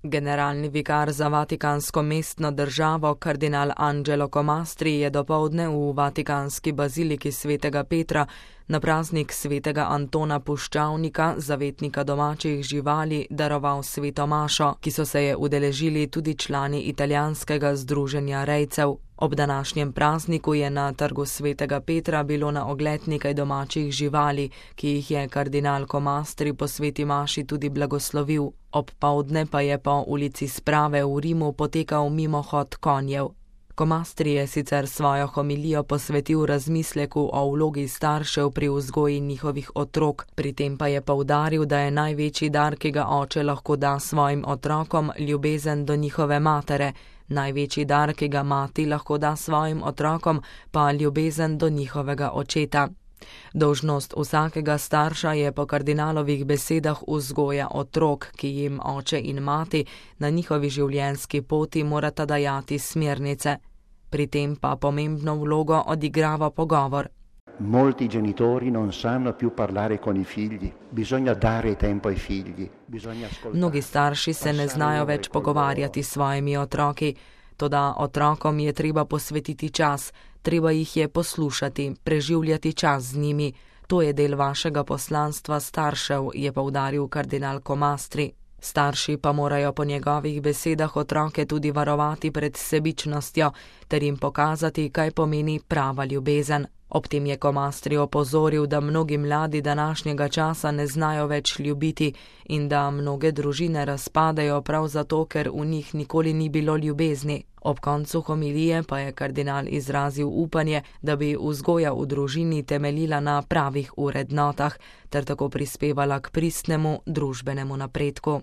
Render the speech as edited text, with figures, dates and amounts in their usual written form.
Generalni vikar za vatikansko mestno državo kardinal Angelo Comastri je dopoldne v vatikanski baziliki svetega Petra na praznik svetega Antona Puščavnika, zavetnika domačih živali, daroval sveto mašo, ki so se je udeležili tudi člani italijanskega združenja rejcev. Ob današnjem prazniku je na trgu svetega Petra bilo na ogled nekaj domačih živali, ki jih je kardinal Comastri po sveti maši tudi blagoslovil. Ob povdne pa je po ulici Sprave v Rimu potekal mimohod konjev. Comastri je sicer svojo homilijo posvetil razmisleku o vlogi staršev pri vzgoji njihovih otrok, pri tem pa je poudaril, da je največji dar, ki ga oče lahko da svojim otrokom, ljubezen do njihove matere, največji dar, ki ga mati lahko da svojim otrokom, pa ljubezen do njihovega očeta. Dolžnost vsakega starša je po kardinalovih besedah vzgoja otrok, ki jim oče in mati na njihovi življenjski poti morata dajati smernice. Pri tem pa pomembno vlogo odigrava pogovor. Molti genitori non sanno più parlare con i figli, bisogna dare tempo ai figli, bisogna ascoltare. Mnogi starši se ne znajo več pogovarjati s svojimi otroki, toda otrokom je treba posvetiti čas, treba jih je poslušati, preživljati čas z njimi. To je del vašega poslanstva staršev, je poudaril kardinal Comastri. Starši pa morajo po njegovih besedah otroke tudi varovati pred sebičnostjo ter jim pokazati, kaj pomeni prava ljubezen. Ob tem je Comastri opozoril, da mnogi mladi današnjega časa ne znajo več ljubiti in da mnoge družine razpadajo prav zato, ker v njih nikoli ni bilo ljubezni. Ob koncu homilije pa je kardinal izrazil upanje, da bi vzgoja v družini temeljila na pravih vrednotah ter tako prispevala k pristnemu družbenemu napredku.